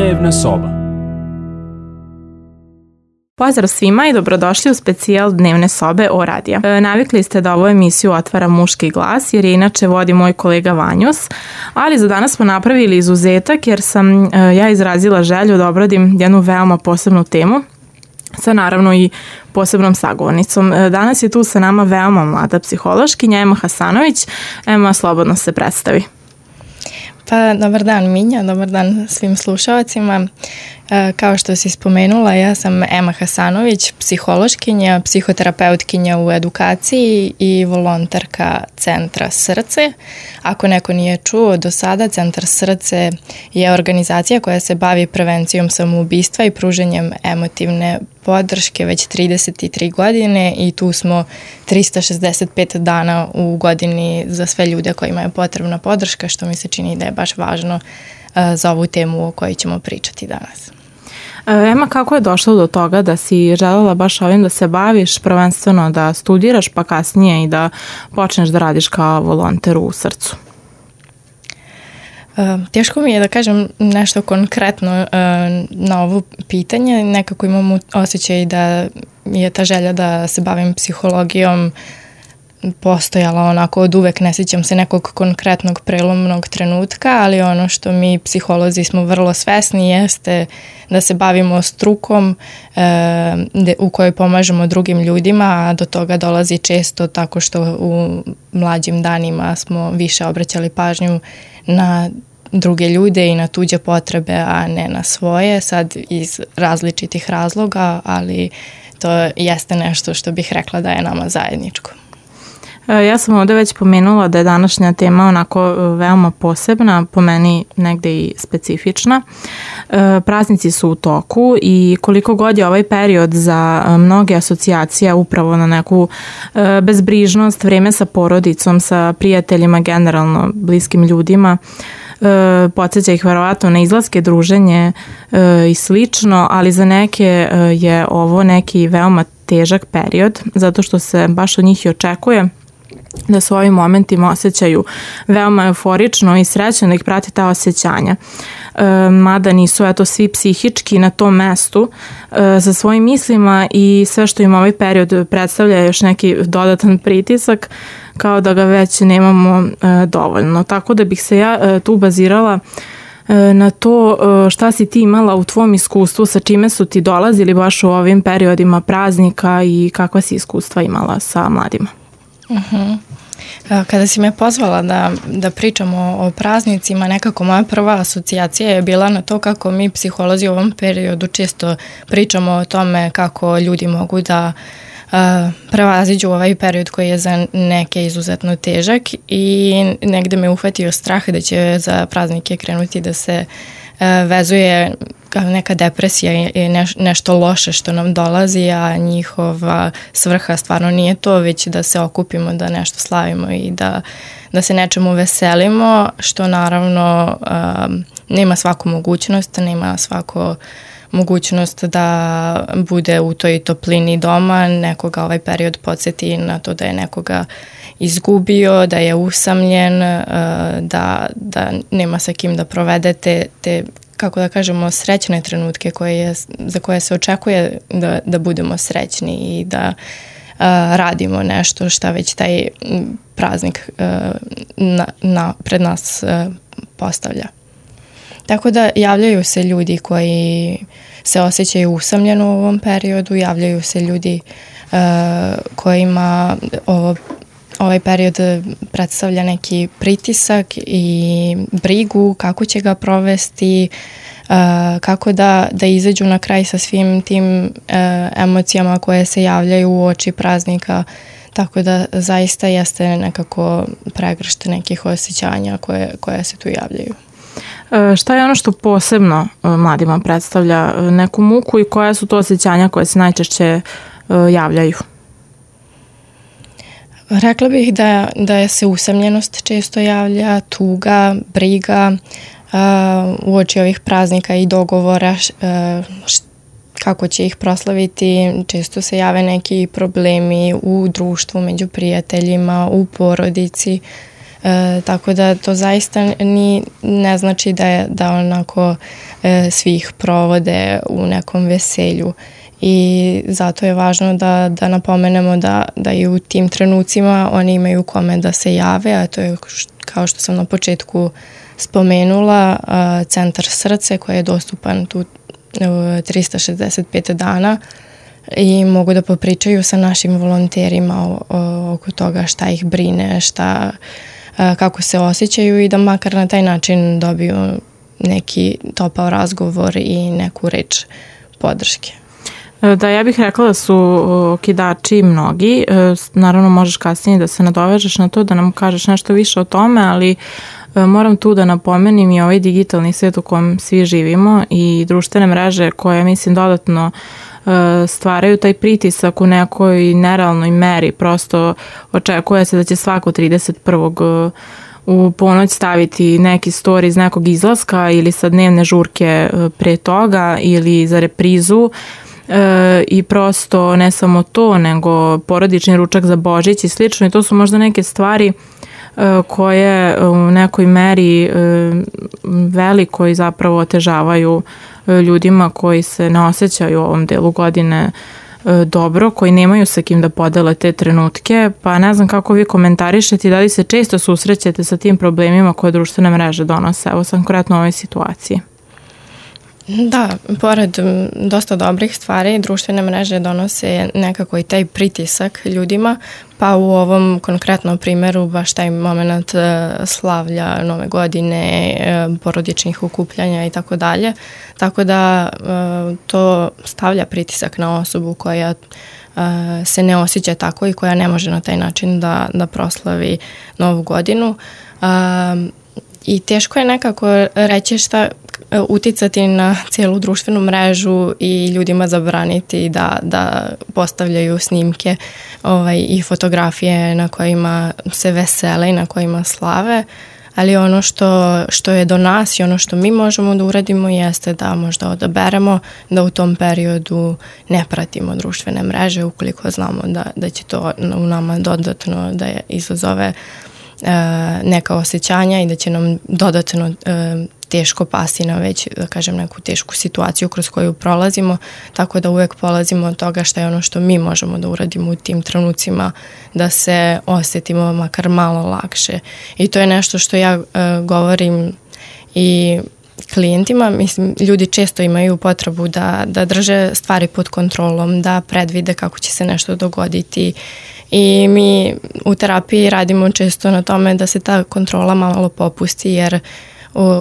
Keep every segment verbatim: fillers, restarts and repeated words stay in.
Dnevna soba. Pozdrav svima i dobrodošli u specijal Dnevne sobe o radija. E, navikli ste da ovu emisiju otvara muški glas, jer je inače vodi moj kolega Vanjus, ali za danas smo napravili izuzetak jer sam e, ja izrazila želju da obradim jednu veoma posebnu temu sa naravno i posebnom sagovornicom. E, danas je tu sa nama veoma mlada psihološkinja Ema Hasanović. Ema, slobodno se predstavi. Pa, dobar dan Minja, dobar dan svim slušalcima. E, kao što si spomenula, ja sam Ema Hasanović, psihološkinja, psihoterapeutkinja u edukaciji i volonterka Centra Srce. Ako neko nije čuo do sada, Centar Srce je organizacija koja se bavi prevencijom samoubistva i pruženjem emotivne podrške već trideset tri godine i tu smo trista šezdeset pet dana u godini za sve ljude kojima je potrebna podrška, što mi se čini da je baš važno za ovu temu o kojoj ćemo pričati danas. Ema, kako je došlo do toga da si želela baš ovim da se baviš, prvenstveno da studiraš pa kasnije i da počneš da radiš kao volonter u Srcu? Uh, teško mi je da kažem nešto konkretno uh, na ovo pitanje. Nekako imam osjećaj da je ta želja da se bavim psihologijom postojala onako od uvek, ne sjećam se nekog konkretnog prelomnog trenutka, ali ono što mi psiholozi smo vrlo svesni jeste da se bavimo strukom e, de, u kojoj pomažemo drugim ljudima, a do toga dolazi često tako što u mlađim danima smo više obraćali pažnju na druge ljude i na tuđe potrebe, a ne na svoje, sad iz različitih razloga, ali to jeste nešto što bih rekla da je nama zajedničko. Ja sam ovde već pomenula da je današnja tema onako veoma posebna, po meni negde i specifična. Praznici su u toku i koliko god je ovaj period za mnoge asocijacija upravo na neku bezbrižnost, vreme sa porodicom, sa prijateljima, generalno bliskim ljudima, podsjeća ih verovatno na izlaske, druženje i slično, ali za neke je ovo neki veoma težak period, zato što se baš od njih i očekuje da se u ovim momentima osjećaju veoma euforično i srećno, da ih prati ta osjećanja. E, mada nisu eto svi psihički na tom mestu e, sa svojim mislima i sve što im ovaj period predstavlja još neki dodatan pritisak, kao da ga već nemamo e, dovoljno. Tako da bih se ja e, tu bazirala e, na to e, šta si ti imala u tvom iskustvu, sa čime su ti dolazili baš u ovim periodima praznika i kakva si iskustva imala sa mladima. Uh-huh. Kada si me pozvala da, da pričamo o praznicima, nekako moja prva asocijacija je bila na to kako mi psiholozi u ovom periodu često pričamo o tome kako ljudi mogu da uh, prevaziđu ovaj period koji je za neke izuzetno težak i negde me uhvatio strah da će za praznike krenuti da se uh, vezuje neka depresija i neš, nešto loše što nam dolazi, a njihova svrha stvarno nije to, već da se okupimo, da nešto slavimo i da, da se nečemu veselimo, što naravno um, nema svaku mogućnost, nema svako mogućnost da bude u toj toplini doma, nekoga ovaj period podsjeti na to da je nekoga izgubio, da je usamljen, da, da nema sa kim da provedete te, kako da kažemo, srećne trenutke koje je, za koje se očekuje da, da budemo srećni i da a, radimo nešto šta već taj praznik a, na, na, pred nas a, postavlja. Tako da javljaju se ljudi koji se osjećaju usamljeno u ovom periodu, javljaju se ljudi uh, kojima ovo, ovaj period predstavlja neki pritisak i brigu kako će ga provesti, uh, kako da, da izađu na kraj sa svim tim uh, emocijama koje se javljaju u oči praznika. Tako da zaista jeste nekako pregršt nekih osjećanja koje, koje se tu javljaju. Šta je ono što posebno mladima predstavlja neku muku i koja su to osjećanja koje se najčešće javljaju? Rekla bih da, da se usamljenost često javlja, tuga, briga, uh, uoči ovih praznika i dogovora uh, kako će ih proslaviti. Često se jave neki problemi u društvu, među prijateljima, u porodici. E, tako da to zaista ni, ne znači da, je, da onako e, svi ih provode u nekom veselju. I zato je važno da, da napomenemo da, da i u tim trenucima oni imaju kome da se jave, a to je kao što sam na početku spomenula, centar Srce koji je dostupan tu trista šezdeset pet dana i mogu da popričaju sa našim volonterima oko toga šta ih brine, šta, kako se osjećaju i da makar na taj način dobiju neki topao razgovor i neku reč podrške. Da, ja bih rekla da su okidači mnogi. Naravno možeš kasnije da se nadovežeš na to, da nam kažeš nešto više o tome, ali moram tu da napomenim i ovaj digitalni svijet u kojem svi živimo i društvene mreže koje, mislim, dodatno stvaraju taj pritisak u nekoj nerealnoj meri. Prosto očekuje se da će svako trideset prvog u ponoć staviti neki story iz nekog izlaska ili sa dnevne žurke pre toga ili za reprizu. E, i prosto ne samo to, nego porodični ručak za Božić i slično, i to su možda neke stvari e, koje u nekoj meri e, velikoj zapravo otežavaju e, ljudima koji se ne osjećaju u ovom delu godine e, dobro, koji nemaju sa kim da podele te trenutke, pa ne znam kako vi komentarišete i da li se često susrećete sa tim problemima koje društvene mreže donose, evo sam konkretno u ovoj situaciji. Da, pored dosta dobrih stvari, društvene mreže donose nekako i taj pritisak ljudima, pa u ovom konkretnom primjeru baš taj moment slavlja Nove godine, porodičnih okupljanja i tako dalje. Tako da to stavlja pritisak na osobu koja se ne osjeća tako i koja ne može na taj način da, da proslavi Novu godinu. I teško je nekako reći šta uticati na cijelu društvenu mrežu i ljudima zabraniti da, da postavljaju snimke ovaj, i fotografije na kojima se vesele i na kojima slave, ali ono što, što je do nas i ono što mi možemo da uradimo jeste da možda odaberemo da u tom periodu ne pratimo društvene mreže ukoliko znamo da, da će to u nama dodatno da je izazove e, neka osjećanja i da će nam dodatno e, teško pasti na već, da kažem, neku tešku situaciju kroz koju prolazimo, tako da uvek polazimo od toga šta je ono što mi možemo da uradimo u tim trenucima da se osjetimo makar malo lakše. I to je nešto što ja uh, govorim i klijentima. Mislim, ljudi često imaju potrebu da, da drže stvari pod kontrolom, da predvide kako će se nešto dogoditi i mi u terapiji radimo često na tome da se ta kontrola malo popusti jer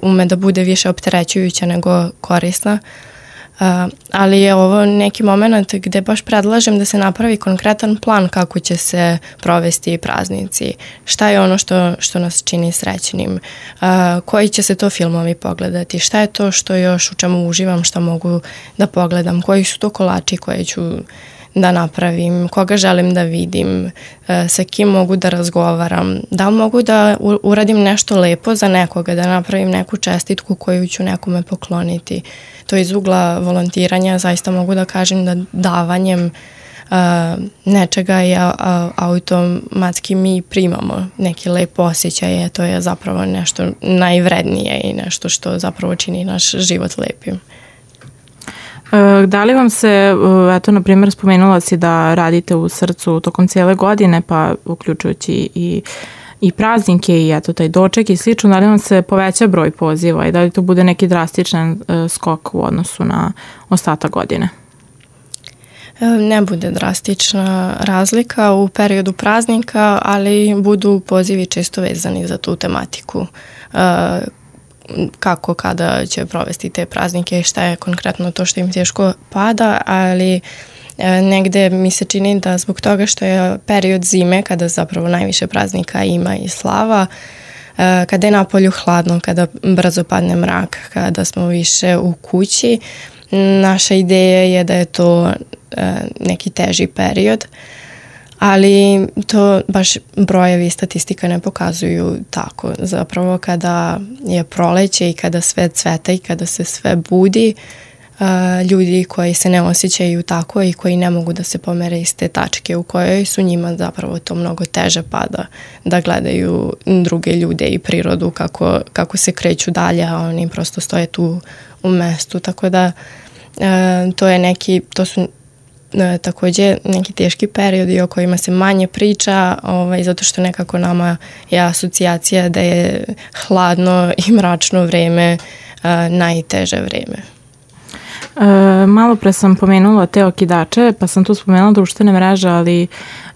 ume da bude više opterećujuća nego korisna. Uh, ali je ovo neki moment gde baš predlažem da se napravi konkretan plan kako će se provesti praznici. Šta je ono što, što nas čini srećnim? Uh, koji će se to filmovi pogledati? Šta je to što još u čemu uživam, što mogu da pogledam? Koji su to kolači koje ću da napravim, koga želim da vidim, sa kim mogu da razgovaram, da mogu da uradim nešto lepo za nekoga, da napravim neku čestitku koju ću nekome pokloniti. To iz ugla volontiranja zaista mogu da kažem da davanjem uh, nečega je uh, automatski mi primamo neki lep osjećaj, to je zapravo nešto najvrednije i nešto što zapravo čini naš život lepim. Da li vam se, eto, na primjer, spomenula si da radite u Srcu tokom cijele godine, pa uključujući i, i praznike i eto, taj doček i slično, da li vam se poveća broj poziva i da li to bude neki drastičan skok u odnosu na ostatak godine? Ne bude drastična razlika u periodu praznika, ali budu pozivi često vezani za tu tematiku. Kako, kada će provesti te praznike i šta je konkretno to što im teško pada, ali negde mi se čini da zbog toga što je period zime, kada zapravo najviše praznika ima i slava, kada je napolju hladno, kada brzo padne mrak, kada smo više u kući, naša ideja je da je to neki teži period, ali to baš brojevi i statistika ne pokazuju tako. Zapravo kada je proleće i kada sve cveta i kada se sve budi, ljudi koji se ne osjećaju tako i koji ne mogu da se pomere iz te tačke u kojoj su njima zapravo to mnogo teže pada da gledaju druge ljude i prirodu kako, kako se kreću dalje, a oni prosto stoje tu u mestu, tako da e, to je neki, to su e, takođe neki teški periodi o kojima se manje priča, ovaj, zato što nekako nama je asocijacija da je hladno i mračno vreme e, najteže vreme. E, malo pre sam pomenula te okidače, pa sam tu spomenula društvene mreže, ali e,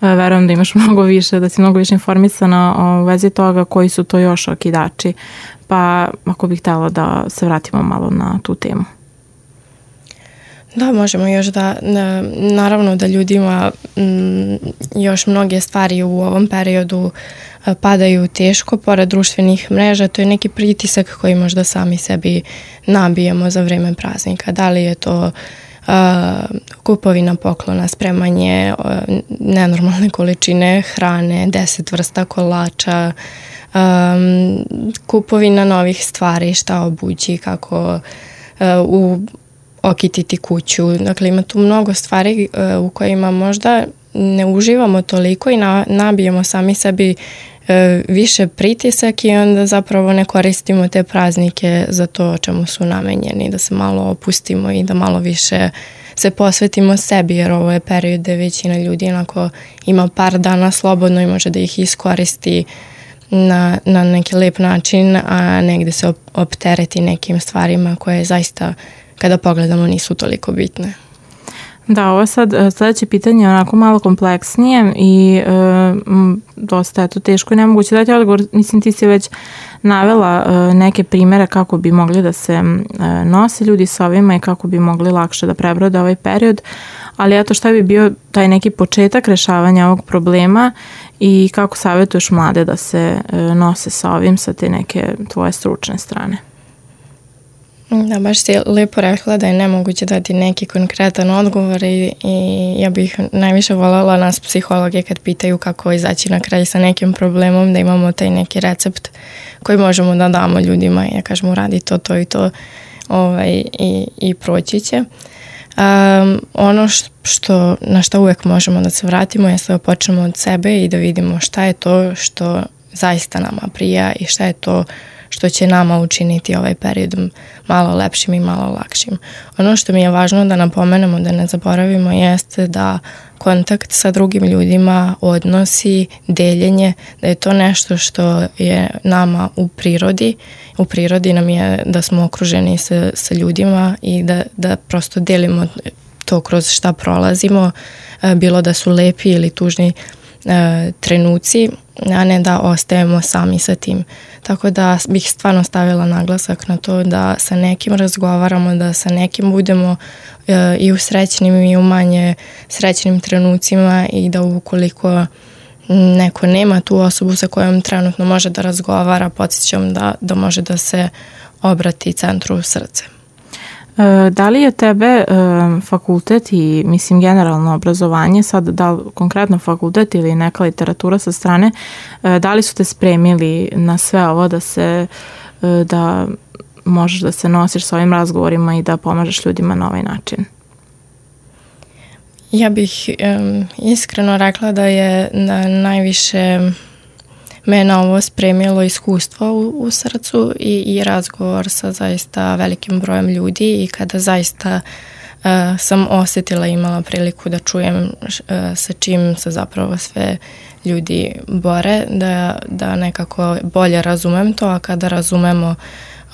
verujem da imaš mnogo više, da si mnogo više informisana o vezi toga koji su to još okidači, pa ako bih htjela da se vratimo malo na tu temu. Da, možemo još da, naravno da ljudima m, još mnoge stvari u ovom periodu padaju teško, pored društvenih mreža, to je neki pritisak koji možda sami sebi nabijemo za vreme praznika. Da li je to uh, kupovina poklona, spremanje uh, nenormalne količine hrane, deset vrsta kolača, um, kupovina novih stvari, šta obući, kako uh, u okititi kuću. Dakle, ima tu mnogo stvari uh, u kojima možda ne uživamo toliko i na, nabijemo sami sebi uh, više pritisak i onda zapravo ne koristimo te praznike za to o čemu su namenjeni, da se malo opustimo i da malo više se posvetimo sebi, jer ovo je period gde većina ljudi onako ima par dana slobodno i može da ih iskoristi na, na neki lep način, a negde se op, optereti nekim stvarima koje zaista kada pogledamo nisu toliko bitne. Da, ovo sad sledeće pitanje je onako malo kompleksnije i e, dosta je to teško i nemoguće dati odgovor. Mislim, ti si već navela e, neke primere kako bi mogli da se e, nose ljudi sa ovima i kako bi mogli lakše da prebrode ovaj period, ali eto šta bi bio taj neki početak rešavanja ovog problema i kako savjetuješ mlade da se e, nose sa ovim sa te neke tvoje stručne strane? Da, baš si lepo rekla da je nemoguće dati neki konkretan odgovor i, i ja bih najviše voljela nas psihologe kad pitaju kako izaći na kraj sa nekim problemom, da imamo taj neki recept koji možemo da damo ljudima i ja kažem uradi to, to i to ovaj, i, i proći će. Um, ono što, na što uvek možemo da se vratimo je da počnemo od sebe i da vidimo šta je to što zaista nama prija i šta je to što će nama učiniti ovaj period malo lepšim i malo lakšim. Ono što mi je važno da napomenemo, da ne zaboravimo, jeste da kontakt sa drugim ljudima, odnosi, deljenje, da je to nešto što je nama u prirodi. U prirodi nam je da smo okruženi sa, sa ljudima i da, da prosto delimo to kroz šta prolazimo, bilo da su lepi ili tužni trenuci, a ne da ostajemo sami sa tim. Tako da bih stvarno stavila naglasak na to da sa nekim razgovaramo, da sa nekim budemo e, i u srećnim i u manje srećnim trenucima i da ukoliko neko nema tu osobu sa kojom trenutno može da razgovara, podsjećam da, da može da se obrati centru srce. Da li je tebe fakultet i mislim generalno obrazovanje, sad da li konkretno fakultet ili neka literatura sa strane, da li su te spremili na sve ovo da se da možeš da se nosiš sa ovim razgovorima i da pomažeš ljudima na ovaj način? Ja bih um, iskreno rekla da je da najviše me na ovo spremilo iskustvo u, u srcu i, i razgovor sa zaista velikim brojem ljudi i kada zaista uh, sam osjetila i imala priliku da čujem uh, sa čim se zapravo sve ljudi bore, da, da nekako bolje razumem to, a kada razumemo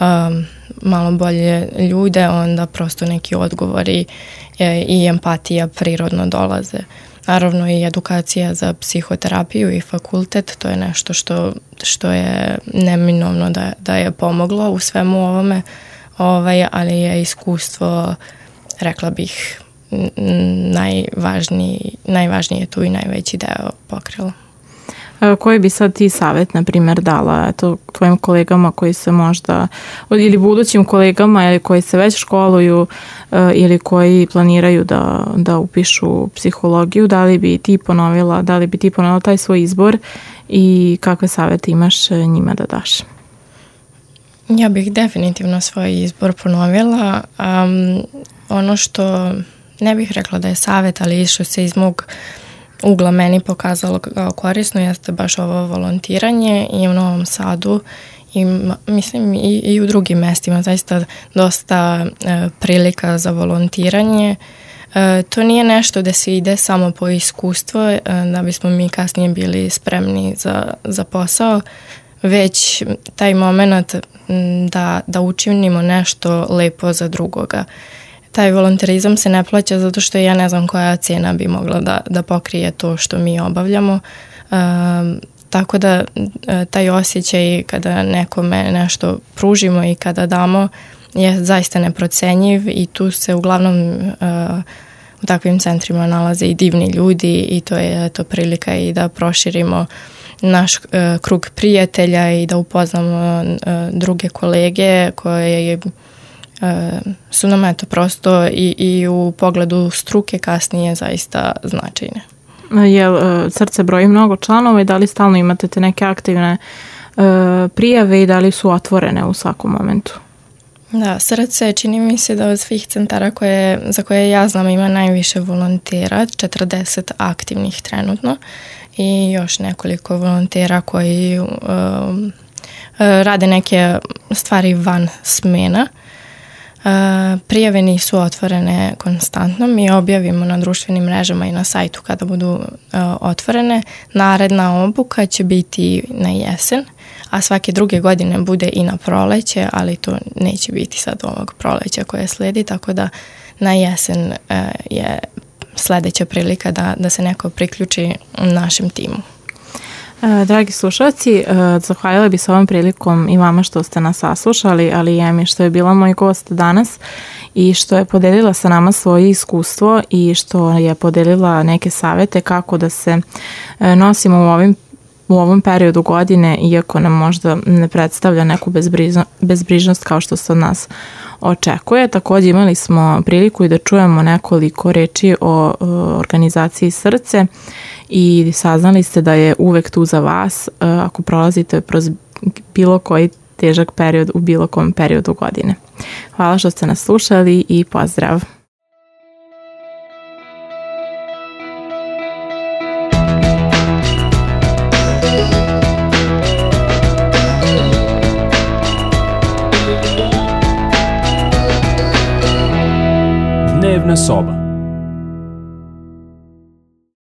um, malo bolje ljude, onda prosto neki odgovori e, i empatija prirodno dolaze. Naravno i edukacija za psihoterapiju i fakultet, to je nešto što, što je neminovno da, da je pomoglo u svemu ovome, ovaj, ali je iskustvo, rekla bih, najvažniji, najvažnije tu i najveći deo pokrilo. Koji bi sad ti savjet, na primjer, dala eto, tvojim kolegama koji se možda, ili budućim kolegama ili koji se već školuju ili koji planiraju da, da upišu psihologiju, da li bi ti ponovila, da li bi ti ponovila taj svoj izbor i kakve savjete imaš njima da daš? Ja bih definitivno svoj izbor ponovila. Um, ono što ne bih rekla da je savjet, ali što se iz mog ugla meni pokazalo kao korisno jeste baš ovo volontiranje i u Novom Sadu i mislim i, i u drugim mestima zaista dosta e, prilika za volontiranje. E, to nije nešto da se ide samo po iskustvo e, da bismo mi kasnije bili spremni za, za posao, već taj moment da, da učinimo nešto lepo za drugoga. Taj volonterizam se ne plaća zato što ja ne znam koja cena bi mogla da, da pokrije to što mi obavljamo. E, tako da e, taj osjećaj kada nekome nešto pružimo i kada damo je zaista neprocenjiv i tu se uglavnom e, u takvim centrima nalaze i divni ljudi i to je to prilika i da proširimo naš e, krug prijatelja i da upoznamo e, druge kolege koje e, su nam eto prosto i, i u pogledu struke kasnije zaista značajne. Jel srce broji mnogo članova i da li stalno imate te neke aktivne e, prijave i da li su otvorene u svakom momentu? Da, srce čini mi se da od svih centara koje, za koje ja znam ima najviše volontera, četrdeset aktivnih trenutno i još nekoliko volontera koji um, rade neke stvari van smena. Uh, prijave nisu otvorene konstantno, mi objavimo na društvenim mrežama i na sajtu kada budu uh, otvorene. Naredna obuka će biti na jesen, a svake druge godine bude i na proleće, ali to neće biti sad ovog proleća koje sledi, tako da na jesen uh, je sledeća prilika da, da se neko priključi našem timu. Dragi slušalci, zahvaljala bi se ovom prilikom i vama što ste nas saslušali, ali i Emi što je bila moj gost danas i što je podelila sa nama svoje iskustvo i što je podelila neke savete kako da se nosimo u ovim u ovom periodu godine, iako nam možda ne predstavlja neku bezbrižno, bezbrižnost kao što se od nas očekuje. Također imali smo priliku i da čujemo nekoliko reči o, o organizaciji Srce i saznali ste da je uvek tu za vas ako prolazite kroz bilo koji težak period u bilo kom periodu godine. Hvala što ste nas slušali i pozdrav! Dnevna soba.